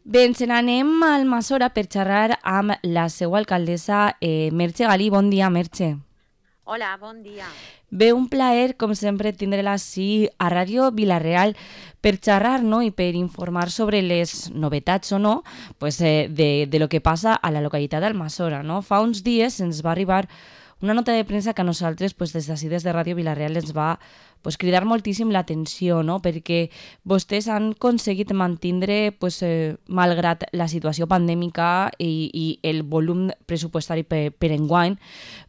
Bé, ens n'anem a Almassora per xerrar amb la seva alcaldessa Merche Galí. Bon dia, Merche. Hola, bon dia. Bé, un plaer, com sempre, tindre-la així a Ràdio Vila-real per xerrar, no?, i per informar sobre les novetats o no pues, de lo que passa a la localitat d'Almassora. No? Fa uns dies ens va arribar una nota de premsa que a nosaltres, pues, des d'ací, des de Ràdio Vila-real, ens va pues, cridar moltíssim l'atenció, no? Perquè vostès han aconseguit mantindre, pues, malgrat la situació pandèmica i el volum pressupostari per enguany,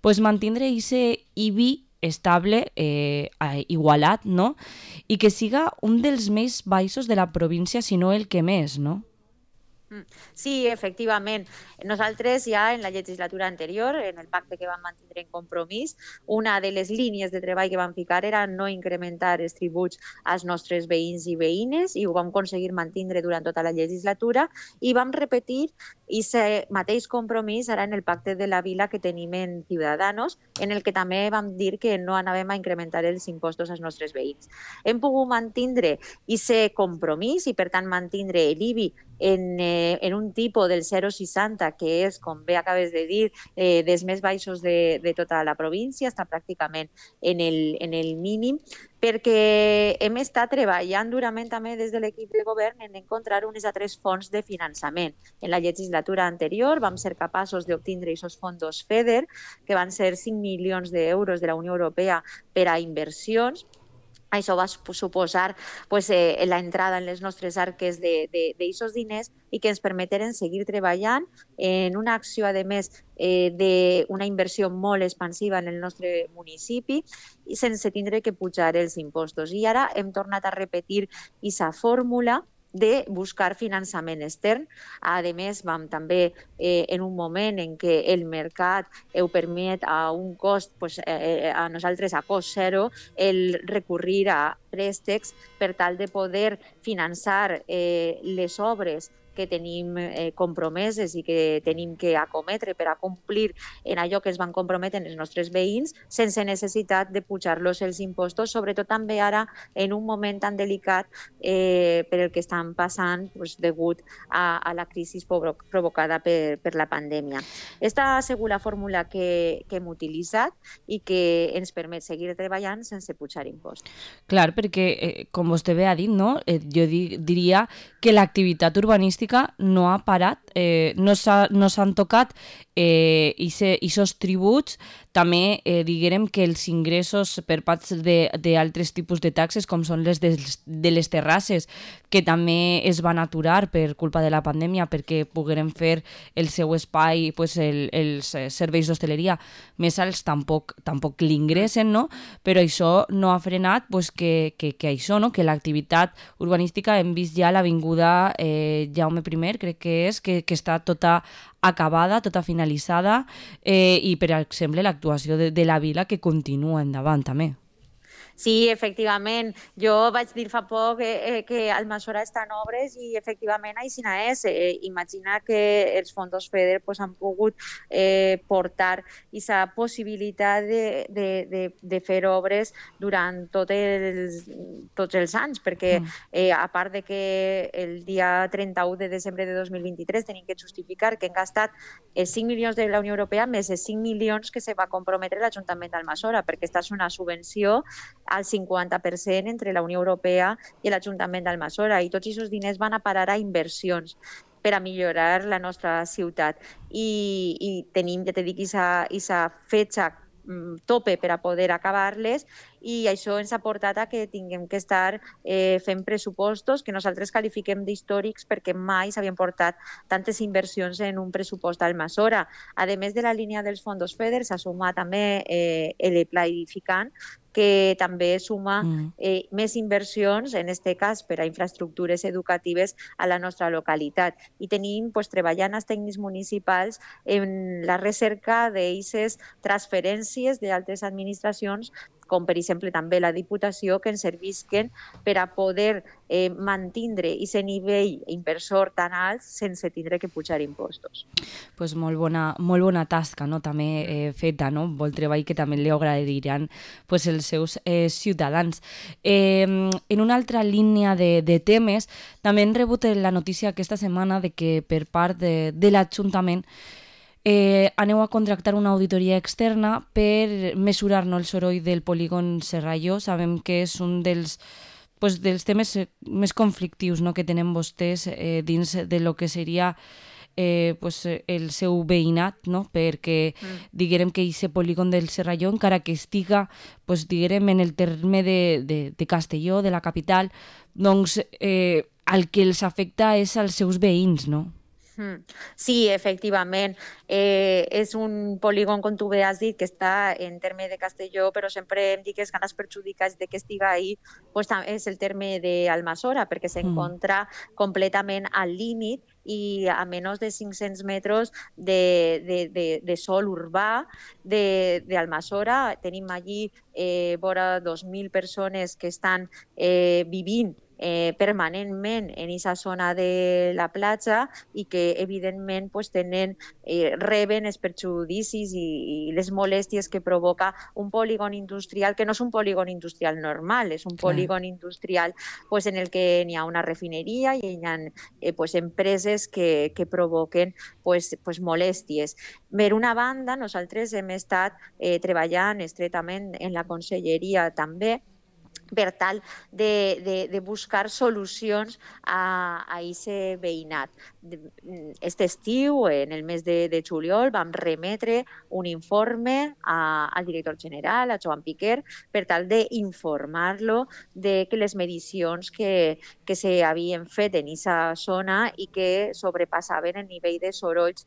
pues, mantindre ese IBI estable, igualat, no? I que siga un dels més baixos de la província, si no el que més, no? Sí, efectivament. Nosaltres ja en la legislatura anterior, en el pacte que vam mantenir en Compromís, una de les línies de treball que vam ficar era no incrementar els tributs als nostres veïns i veïnes i ho vam aconseguir mantenir durant tota la legislatura i vam repetir aquest mateix compromís ara en el pacte de la vila que tenim en Ciudadanos, en el que també vam dir que no anàvem a incrementar els impostos als nostres veïns. Hem pogut mantenir aquest compromís i per tant mantenir l'IBI en un tipus del 0,60, que és, com bé acabes de dir, dels més baixos de tota la província, està pràcticament en el mínim, perquè hem estat treballant durament també des de l'equip de govern en encontrar unes altres fonts de finançament. En la legislatura anterior vam ser capaços d'obtindre aquests fons FEDER, que van ser 5 milions d'euros de la Unió Europea per a inversions. Això va suposar pues, l'entrada en les nostres arques d'aquests diners i que ens permeteren seguir treballant en una acció, a més, d'una inversió molt expansiva en el nostre municipi i sense tindre que pujar els impostos. I ara hem tornat a repetir aquesta fórmula de buscar finançament extern. A més, vam també, en un moment en què el mercat ho permet a un cost, pues, a nosaltres a cost zero, el recurrir a préstecs per tal de poder finançar les obres que tenim compromeses i que tenim que acometre per a complir en allò que es van comprometre els nostres veïns sense necessitat de pujar-los els impostos, sobretot també ara en un moment tan delicat per el que estan passant pues, degut a la crisi provocada per la pandèmia. Esta ha sigut la fórmula que hem utilitzat i que ens permet seguir treballant sense pujar impostos. Clar, perquè, com vostè bé ha dit, no? Jo diria que l'activitat urbanística no ha parat, no s'han tocat aquests tributs. També diguem que els ingressos per part d'altres tipus de taxes, com són les de les terrasses, que també es van aturar per culpa de la pandèmia perquè pogueren fer el seu espai, pues, els serveis d'hostaleria més alts, tampoc l'ingressen, no? Però això no ha frenat pues, que això, no? Que l'activitat urbanística, hem vist ja l'avinguda Jaume I, crec que és, que està tota acabada, tota finalitzada, i per exemple l'actuació de la vila que continua endavant també. Sí, efectivament. Jo vaig dir fa poc que Almassora està en obres i efectivament així és. Imagina que els fons FEDER pues, han pogut portar aquesta possibilitat de fer obres durant tots els anys, perquè a part de que el dia 31 de desembre de 2023 tenim que justificar que han gastat 5 milions de la Unió Europea més els 5 milions que se va comprometre l'Ajuntament d'Almassora, perquè aquesta és una subvenció al 50% entre la Unió Europea i l'Ajuntament d'Almassora, i tots aquests diners van a parar a inversions per a millorar la nostra ciutat. I tenim, ja t'he dit, aquesta fetge tope per a poder acabar-les, i això ens ha portat a que tinguem que estar fent pressupostos que nosaltres qualifiquem d'històrics perquè mai s'havien portat tantes inversions en un pressupost d'Almassora. A més de la línia dels fons FEDER, s'ha sumat també el Pla Edificant, que també suma més inversions, en aquest cas per a infraestructures educatives a la nostra localitat. I tenim pues, treballant els tècnics municipals en la recerca d'aquestes transferències d'altres administracions com per exemple també la Diputació, que ens servisquen per a poder mantindre aquest nivell inversor tan alt sense tindre que pujar impostos. Pues molt bona tasca, no? També feta, no? Molt treball que també li agrairan pues, els seus ciutadans. En una altra línia de temes, també hem rebut la notícia aquesta setmana de que per part de l'Ajuntament aneu a contractar una auditoria externa per mesurar, no, el soroll del polígon Serralló. Sabem que és un dels temes més conflictius, no, que tenen vostès dins de lo que seria el seu veïnat, no? Perquè diguem que aquest polígon del Serralló, encara que estiga diguem, en el terme de Castelló, de la capital, doncs el que els afecta és als seus veïns, no? Sí, efectivament. És un polígon, com tu bé has dit, que està en terme de Castelló, però sempre em dic que els grans perjudicats de que estiga ahí és el terme d'Almassora, perquè s'encontra completament al límit i a menys de 500 metres de sòl urbà d'Almassora. Tenim allí vora 2.000 persones que estan vivint permanentment en aquesta zona de la platja i que evidentment reben els perjudicis i les molèsties que provoca un polígon industrial, que no és un polígon industrial normal, és un polígon industrial en el que n'hi ha una refineria i hi ha empreses que provoquen molèsties. Per una banda, nosaltres hem estat treballant estretament en la conselleria també per tal de buscar solucions a aquest veïnat. Aquest estiu, en el mes de juliol, vam remetre un informe al director general, a Joan Piquer, per tal d'informar-lo de que les medicions que s'havien fet en aquesta zona i que sobrepassaven el nivell de sorolls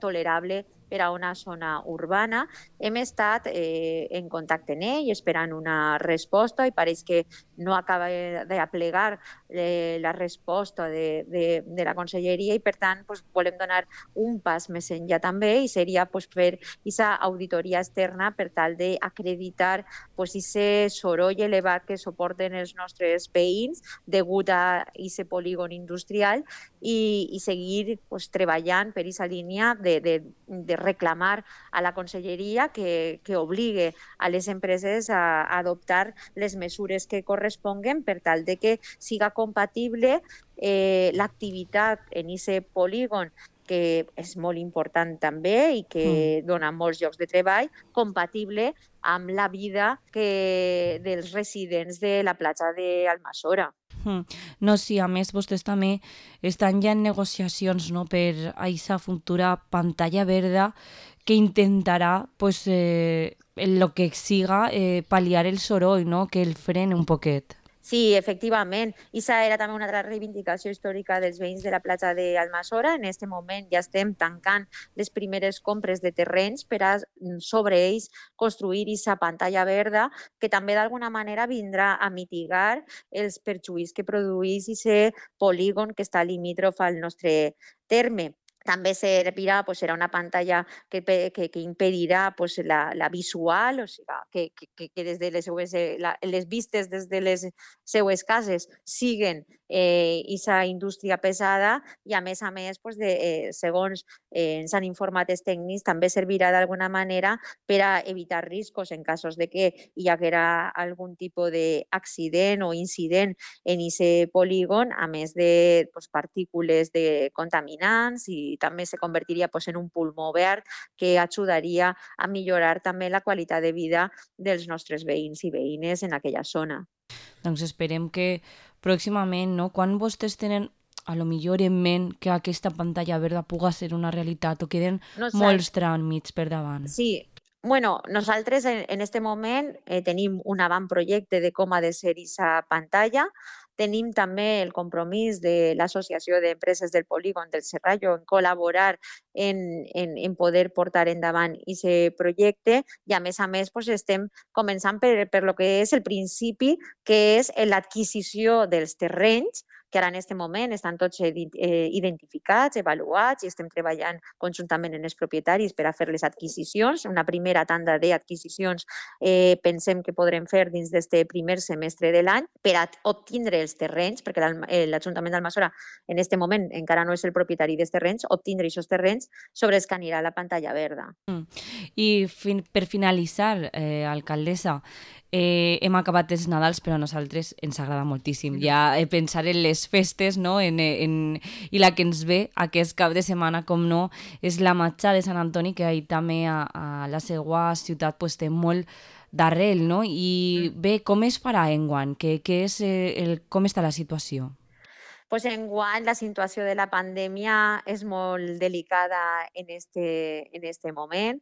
tolerable per a una zona urbana. Hem estat en contacte amb ell, esperant una resposta, i pareix que no acaba d'aplegar la resposta de la conselleria, i per tant volem donar un pas més enllà també, i seria fer aquesta auditoria externa per tal d'acreditar aquest soroll elevat que suporten els nostres veïns degut a aquest polígon industrial i seguir treballant per aquesta línia de reclamar a la conselleria que obligue a les empreses a adoptar les mesures que corresponguen per tal de que siga compatible l'activitat en aquest polígon, que és molt important també i que dona molts llocs de treball, compatible amb la vida dels residents de la platja d'Almassora. No, sí, a més vostès també estan ja en negociacions, no, per a aquesta futura pantalla verda que intentarà, en lo que siga, pal·liar el soroll, no, que el frene un poquet. Sí, efectivament. Aquesta era també una altra reivindicació històrica dels veïns de la platja d'Almassora. En aquest moment ja estem tancant les primeres compres de terrenys per a sobre ells construir aquesta pantalla verda, que també d'alguna manera vindrà a mitigar els perjuís que produeix aquest polígon que està limítrof al nostre terme. També servirà, serà una pantalla que impedirà la visual, o sigui, que des de les vistes des de les seues cases siguen aquesta indústria pesada, i a més, segons ens han informat els tècnics, també servirà d'alguna manera per a evitar riscos en casos de que hi haguera algun tipus d'accident o incident en aquest polígon, a més de partícules contaminants, i també se convertiria en un pulmó verd que ajudaria a millorar també la qualitat de vida dels nostres veïns i veïnes en aquella zona. Doncs esperem que pròximament, no, quan vostès tenen a lo millor en ment que aquesta pantalla verda puga ser una realitat o queden molts tràmits per davant. Sí. Bueno, nosaltres en aquest moment tenim un avantprojecte de com ha de ser aquesta pantalla. Tenim també el compromís de l'Associació d'Empreses del Polígon del Serralló en col·laborar en poder portar endavant aquest projecte, i a més estem començant per lo que és el principi, que és l'adquisició dels terrenys que ara en aquest moment estan tots identificats, avaluats, i estem treballant conjuntament amb els propietaris per a fer les adquisicions. Una primera tanda d'adquisicions pensem que podrem fer dins d'aquest primer semestre de l'any per a obtindre els terrenys, perquè l'Ajuntament d'Almassora en aquest moment encara no és el propietari dels terrenys, obtindre aquests terrenys sobre els que anirà la pantalla verda. I per finalitzar, alcaldessa, hem acabat els Nadals, però a nosaltres ens agrada moltíssim ja pensar en les festes, no? I la que ens ve aquest cap de setmana, com no, és la Matxa de Sant Antoni, que ahir també a la seva ciutat pues, té molt d'arrel, no? I bé, com es farà enguany? Com està la situació? Pues enguany la situació de la pandèmia és molt delicada en este moment.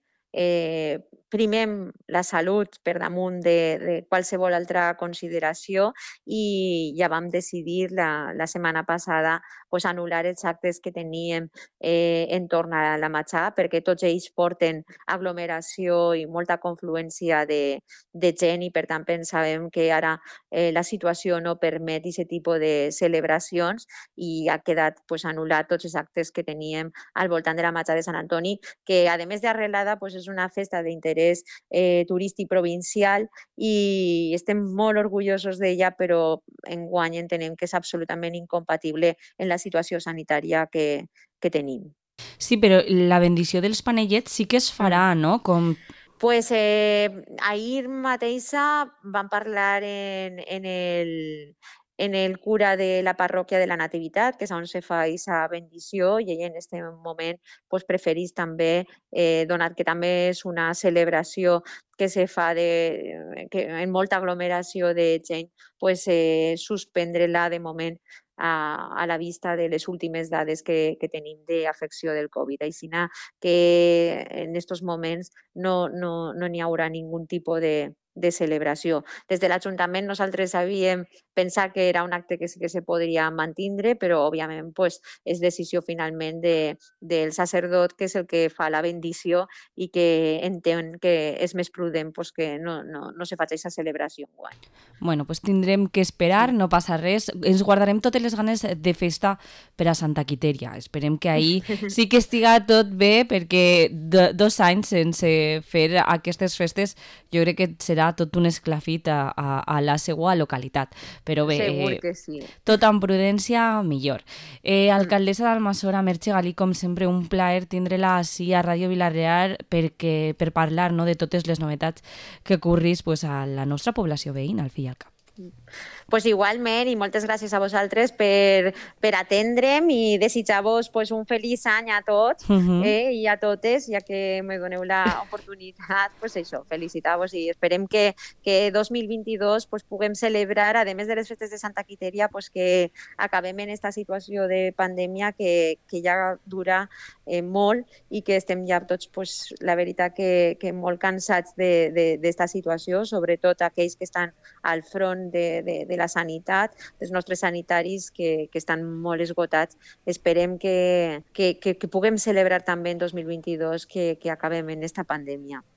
Primem la salut per damunt de qualsevol altra consideració i ja vam decidir la setmana passada pues, anul·lar els actes que teníem entorn a la Matxà, perquè tots ells porten aglomeració i molta confluència de gent i per tant pensàvem que ara la situació no permet aquest tipus de celebracions i ha quedat pues, anul·lat tots els actes que teníem al voltant de la Matxà de Sant Antoni, que a més d'arrelada pues, és una festa d'interès turístic provincial i estem molt orgullosos d'ella, però enguany entenem que és absolutament incompatible en la situació sanitària que tenim. Sí, però la bendició dels panellets sí que es farà, no? Pues ahir mateixa vam parlar en el cura de la parròquia de la Nativitat, que és on se fa aquesta bendició, i ell en aquest moment pues, preferís també, donat que també és una celebració que se fa en molta aglomeració de gent, pues, suspendre-la de moment a la vista de les últimes dades que tenim d'afecció del Covid. Així que en aquests moments no n'hi haurà ningú tipus de celebració. Des de l'Ajuntament nosaltres havíem pensat que era un acte que sí que se podria mantindre, però òbviament pues, és decisió finalment del sacerdot, que és el que fa la bendició i que entén que és més prudent pues, que no se faci aquesta celebració enguany. Bueno, pues tindrem que esperar, no passa res. Ens guardarem totes les ganes de festa per a Santa Quitèria. Esperem que ahir sí que estiga tot bé, perquè 2 anys sense fer aquestes festes jo crec que serà tot un esclafit a la seva localitat. Però bé, segur que sí. Tot amb prudència, millor. Alcaldessa d'Almassora, Merche Galí, com sempre, un plaer tindre-la així a Ràdio Vila-real per parlar no, de totes les novetats que ocorris pues, a la nostra població veïna, al fi i al cap. Pues igualment, i moltes gràcies a vosaltres per atendre'm i desitjar-vos pues, un feliç any a tots i a totes, ja que me doneu l'oportunitat, pues això, felicitar-vos i esperem que 2022 pues, puguem celebrar, a més de les festes de Santa Quitèria, pues, que acabem en aquesta situació de pandèmia que ja dura molt i que estem ja tots, pues, la veritat, que molt cansats d'esta situació, sobretot aquells que estan al front de la sanitat, dels nostres sanitaris que estan molt esgotats. Esperem que puguem celebrar també en 2022 que acabem en aquesta pandèmia.